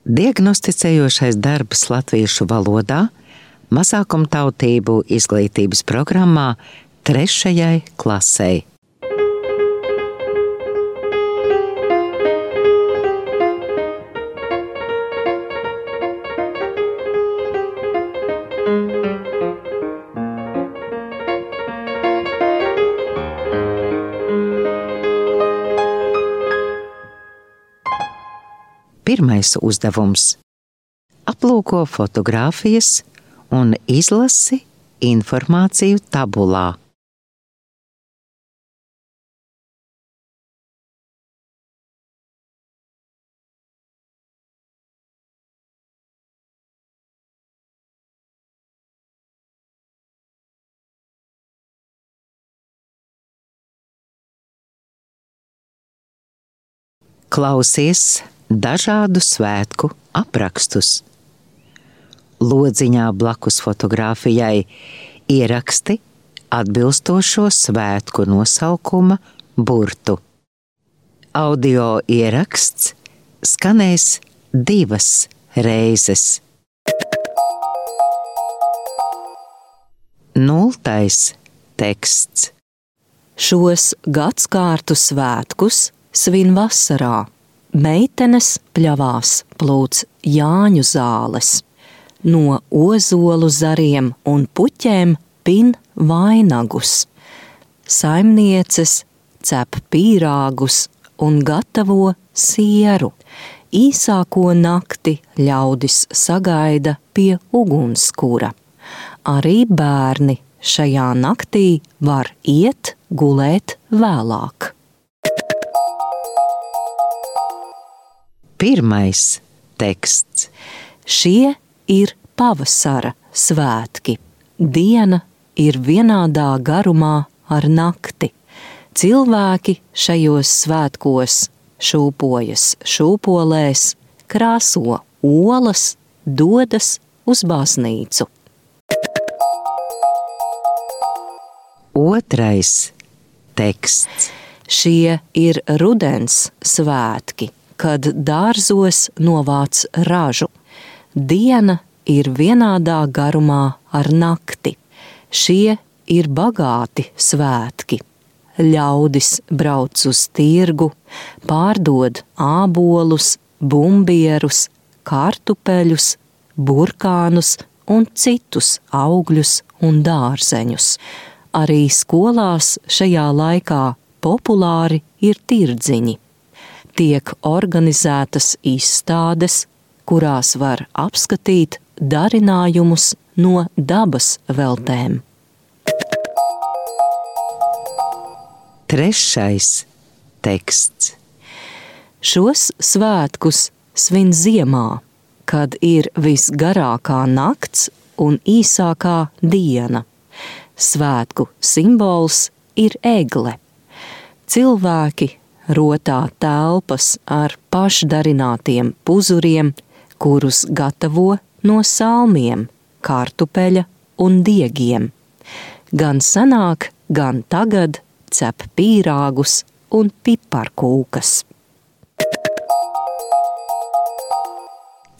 Diagnosticējošais darbs latviešu valodā mazākumtautību izglītības programmā 3. klasei. Pirmais uzdevums – aplūko fotogrāfijas un izlasi informāciju tabulā. Klausies dažādu svētku aprakstus. Lodziņā blakus fotogrāfijai ieraksti atbilstošo svētku nosaukuma burtu. Audio ieraksts skanēs 2 reizes. 0. teksts. Šos gadskārtu svētkus svin vasarā. Meitenes pļavās plūc Jāņu zāles. No ozolu zariem un puķēm pin vainagus. Saimnieces cep pīrāgus un gatavo sieru. Īsāko nakti ļaudis sagaida pie ugunskura. Arī bērni šajā naktī var iet gulēt vēlāk. Pirmais teksts. Šie ir pavasara svētki. Diena ir vienādā garumā ar nakti. Cilvēki šajos svētkos šūpojas šūpolēs, krāso olas, dodas uz baznīcu. 2. teksts. Šie ir rudens svētki, kad dārzos novāc ražu. Diena ir vienādā garumā ar nakti. Šie ir bagāti svētki. Ļaudis brauc uz tirgu, pārdod ābolus, bumbierus, kartupeļus, burkānus un citus augļus un dārzeņus. Arī skolās šajā laikā populāri ir tirdziņi. Tiek organizētas izstādes, kurās var apskatīt darinājumus no dabas veltēm. 3. teksts. Šos svētkus svin ziemā, kad ir visgarākā nakts un īsākā diena. Svētku simbols ir egle. Cilvēki rotā telpas ar pašdarinātiem puzuriem, kurus gatavo no salmiem, kartupeļa un diegiem. Gan senāk, gan tagad cep pīrāgus un piparkūkas.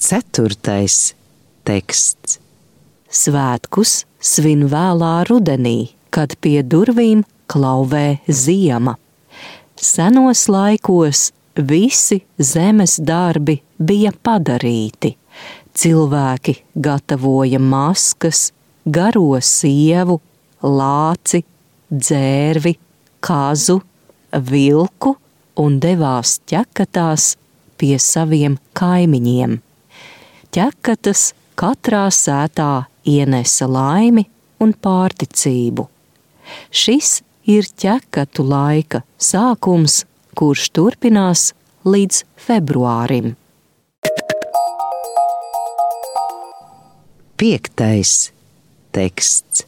4. teksts. Svētkus svin vēlā rudenī, kad pie durvīm klauvē ziema. Senos laikos visi zemes darbi bija padarīti. Cilvēki gatavoja maskas, garo sievu, lāci, dzērvi, kazu, vilku un devās ķekatās pie saviem kaimiņiem. Ķekatas katrā sētā ienesa laimi un pārticību. Šis ir ķekatu laika sākums, kurš turpinās līdz februārim. 5. teksts.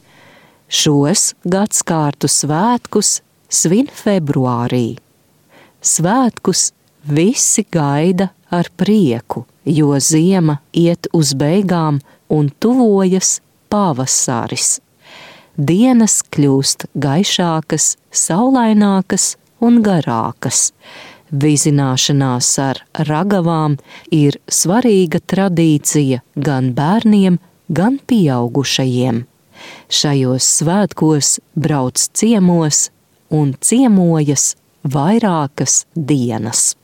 Šos gadskārtu svētkus svin februārī. Svētkus visi gaida ar prieku, jo ziema iet uz beigām un tuvojas pavasaris. Dienas kļūst gaišākas, saulainākas un garākas. Vizināšanās ar ragavām ir svarīga tradīcija gan bērniem, gan pieaugušajiem. Šajos svētkos brauc ciemos un ciemojas vairākas dienas.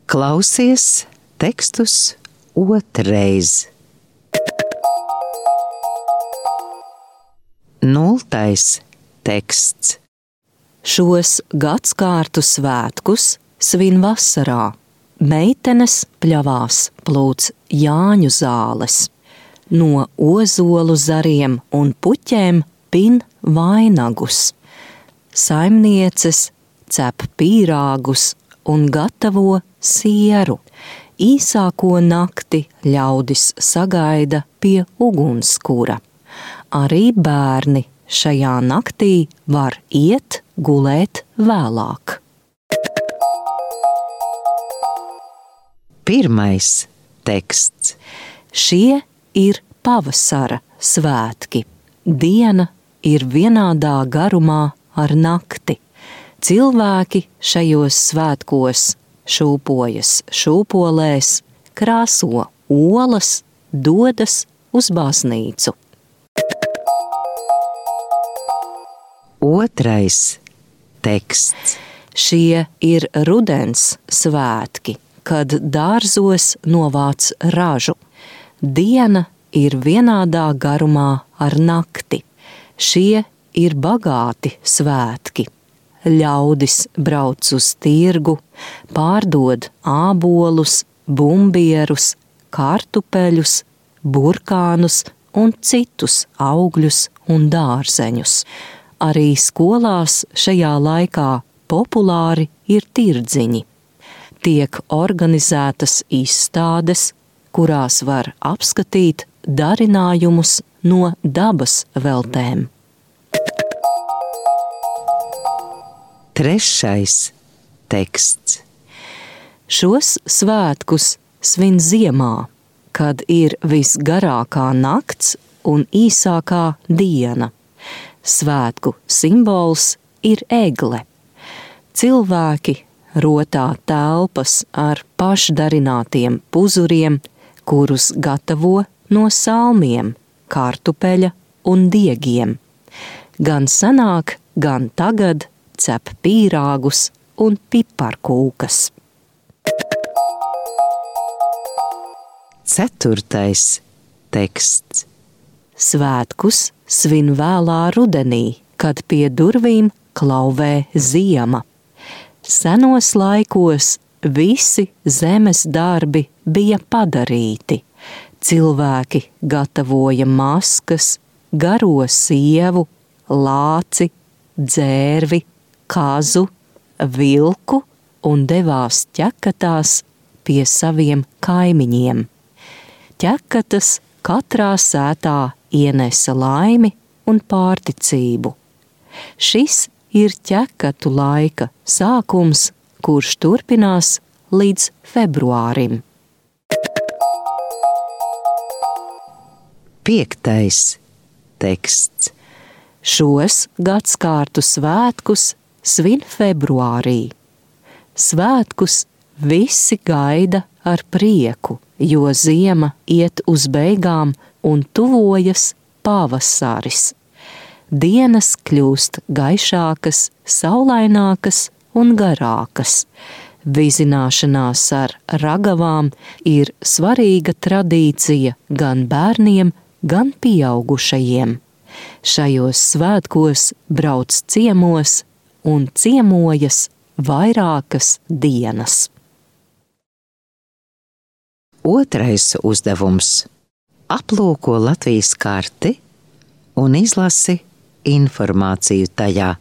Klausies tekstus otrreiz. 0. teksts. Šos gadskārtu svētkus svin vasarā. Meitenes pļavās plūc Jāņu zāles. No ozolu zariem un puķēm pin vainagus. Saimnieces cep pīrāgus un gatavo sieru. Īsāko nakti ļaudis sagaida pie ugunskura. Arī bērni šajā naktī var iet gulēt vēlāk. 1. teksts. Šie ir pavasara svētki. Diena ir vienādā garumā ar nakti. Cilvēki šajos svētkos šūpojas šūpolēs, krāso olas, dodas uz baznīcu. 2. teksts. Šie ir rudens svētki, kad dārzos novāc ražu. Diena ir vienādā garumā ar nakti. Šie ir bagāti svētki. Ļaudis brauc uz tirgu, pārdod ābolus, bumbierus, kartupeļus, burkānus un citus augļus un dārzeņus. Arī skolās šajā laikā populāri ir tirdziņi. Tiek organizētas izstādes, kurās var apskatīt darinājumus no dabas veltēm. 3. teksts. Šos svētkus svin ziemā, kad ir visgarākā nakts un īsākā diena. Svētku simbols ir egle. Cilvēki rotā telpas ar pašdarinātiem puzuriem, kurus gatavo no salmiem, kartupeļa un diegiem. Gan senāk, gan tagad cep pīrāgus un piparkūkas. 4. teksts. Svētkus svin vēlā rudenī, kad pie durvīm klauvē ziema. Senos laikos visi zemes darbi bija padarīti. Cilvēki gatavoja maskas, garo sievu, lāci, dzērvi, kazu, vilku un devās ķekatās pie saviem kaimiņiem. Ķekatas katrā sētā ienesa laimi un pārticību. Šis ir ķekatu laika sākums, kurš turpinās līdz februārim. 5. teksts. Šos gadskārtu svētkus svin februārī. Svētkus visi gaida ar prieku, jo ziema iet uz beigām un tuvojas pavasaris. Dienas kļūst gaišākas, saulainākas un garākas. Vizināšanās ar ragavām ir svarīga tradīcija gan bērniem, gan pieaugušajiem. Šajos svētkos brauc ciemos un ciemojas vairākas dienas. 2. uzdevums. Aplūko Latvijas karti un izlasi informāciju tajā.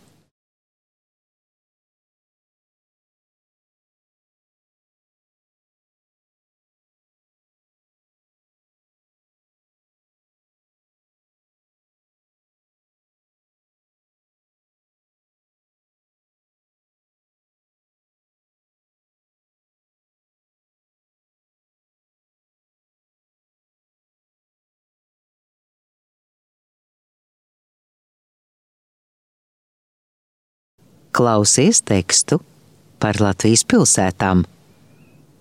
Klausies tekstu par Latvijas pilsētām.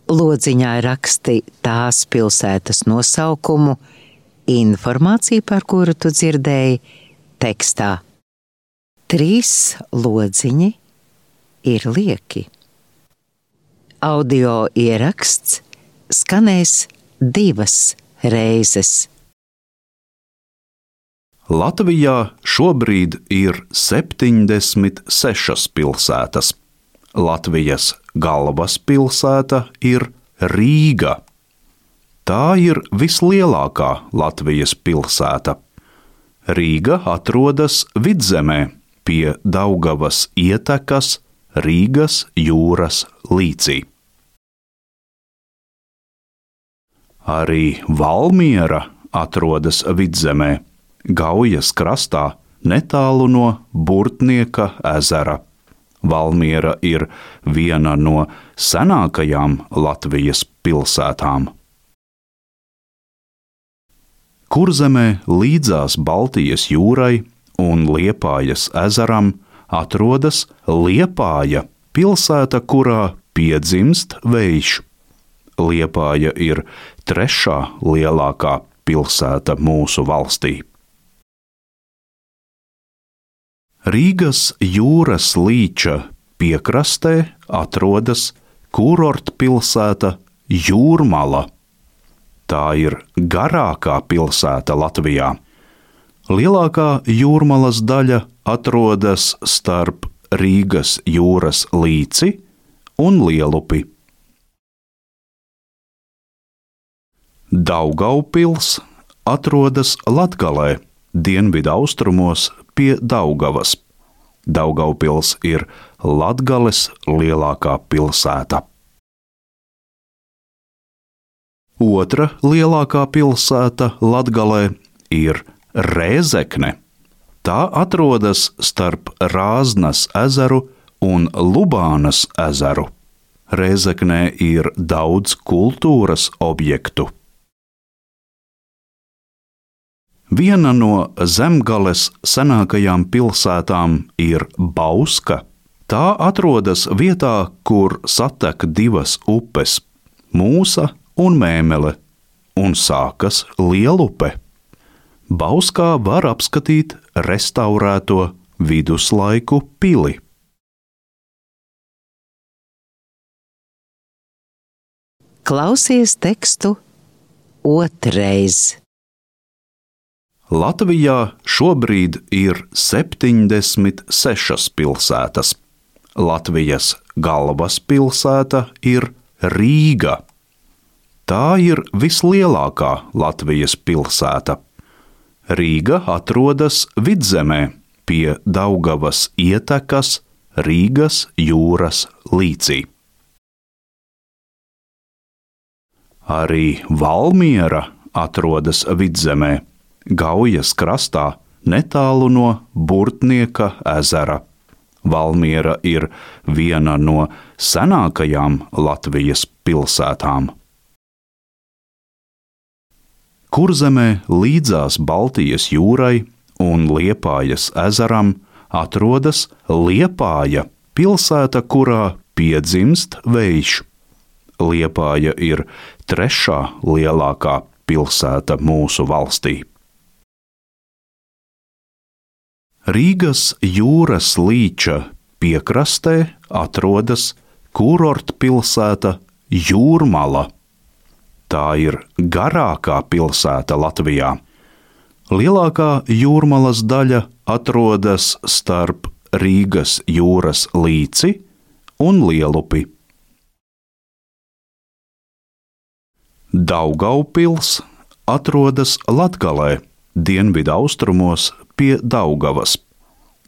Lodziņā raksti tās pilsētas nosaukumu, informāciju, par kuru tu dzirdēji tekstā. 3 lodziņi ir lieki. Audio ieraksts skanēs 2 reizes. Latvijā šobrīd ir 76 pilsētas. Latvijas galvaspilsēta ir Rīga. Tā ir vislielākā Latvijas pilsēta. Rīga atrodas vidzemē pie Daugavas ietekas Rīgas jūras līcī. Arī Valmiera atrodas vidzemē, Gaujas krastā, netālu no Burtnieka ezera. Valmiera ir viena no senākajām Latvijas pilsētām. Kurzemē līdzās Baltijas jūrai un Liepājas ezeram atrodas Liepāja, pilsēta, kurā piedzimst vējš. Liepāja ir 3. lielākā pilsēta mūsu valstī. Rīgas jūras līča piekrastē atrodas kurortpilsēta Jūrmala. Tā ir garākā pilsēta Latvijā. Lielākā Jūrmalas daļa atrodas starp Rīgas jūras līci un Lielupi. Daugavpils atrodas Latgalē, dienvidaustrumos pie Daugavas. Daugavpils ir Latgales lielākā pilsēta. Otra lielākā pilsēta Latgalē ir Rēzekne. Tā atrodas starp Rāznas ezeru un Lubānas ezeru. Rēzeknē ir daudz kultūras objektu. Viena no Zemgales senākajām pilsētām ir Bauska. Tā atrodas vietā, kur satek 2 upes – Mūsa un Mēmele, un sākas Lielupe. Bauskā var apskatīt restaurēto viduslaiku pili. Klausies tekstu otrreiz. Latvijā šobrīd ir 76 pilsētas. Latvijas galvaspilsēta ir Rīga. Tā ir vislielākā Latvijas pilsēta. Rīga atrodas vidzemē pie Daugavas ietekas Rīgas jūras līcī. Arī Valmiera atrodas vidzemē, Gaujas krastā, netālu no Burtnieka ezera. Valmiera ir viena no senākajām Latvijas pilsētām. Kurzemē līdzās Baltijas jūrai un Liepājas ezeram atrodas Liepāja, pilsēta, kurā piedzimst vējš. Liepāja ir 3. lielākā pilsēta mūsu valstī. Rīgas jūras līča piekrastē atrodas kurortpilsēta Jūrmala. Tā ir garākā pilsēta Latvijā. Lielākā Jūrmalas daļa atrodas starp Rīgas jūras līci un Lielupi. Daugavpils atrodas Latgalē, dienvidaustrumos pie Daugavas.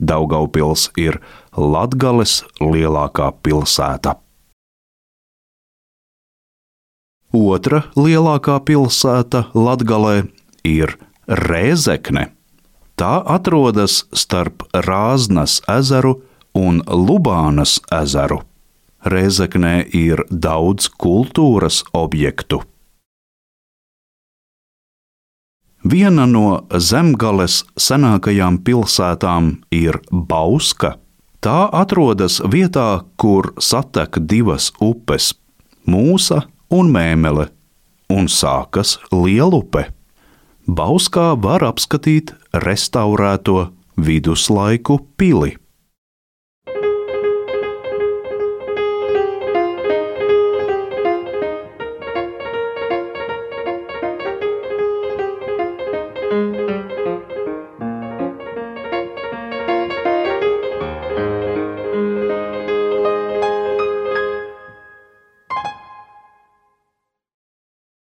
Daugavpils ir Latgales lielākā pilsēta. Otra lielākā pilsēta Latgalē ir Rēzekne. Tā atrodas starp Rāznas ezeru un Lubānas ezeru. Rēzeknē ir daudz kultūras objektu. Viena no Zemgales senākajām pilsētām ir Bauska. Tā atrodas vietā, kur satek divas upes – Mūsa un Mēmele, un sākas Lielupe. Bauskā var apskatīt restaurēto viduslaiku pili.